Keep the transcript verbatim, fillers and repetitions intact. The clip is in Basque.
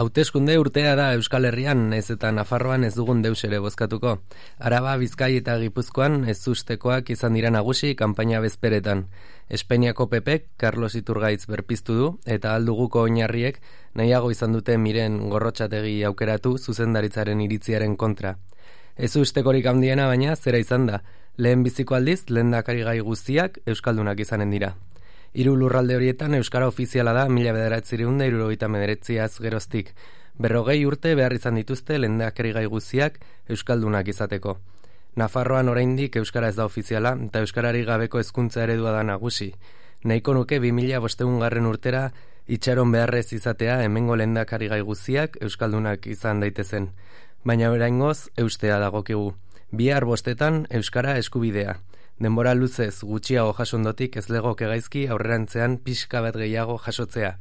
Hauteskunde urtea da Euskal Herrian, ez eta Nafarroan ez dugun deus ere bozkatuko. Araba, Bizkai eta Gipuzkoan ez ustekoak izan dira nagusi kanpaina bezperetan. Espainiako P Pk Carlos Iturgaitz berpiztu du eta alduguko oinarriek nahiago izan dute Miren Gorrotxategi aukeratu zuzendaritzaren iritziaren kontra. Ez ustekorik handiena baina zera izan da, lehen biziko aldiz lehendakari gai guztiak euskaldunak izanen dira. Hiru lurralde horietan euskara ofiziala da mila bederatziehun eta hirurogeita hemeretziaz geroztik. Berrogei urte behar izan dituzte lehendakari gai guztiak euskaldunak izateko. Nafarroan oraindik euskara ez da ofiziala eta euskarari gabeko hezkuntza eredua da nagusi. Nahiko nuke bi mila bostehun garren urtera itxaron beharrez izatea hemengo lehendakari gai guztiak euskaldunak izan daitezen. Baina oraingoz eustea dagokigu. Bihar bostetan euskara eskubidea. Denbora luzez gutxiago jasondotik ez legoke gaizki aurrerantzean pixka bat gehiago jasotzea.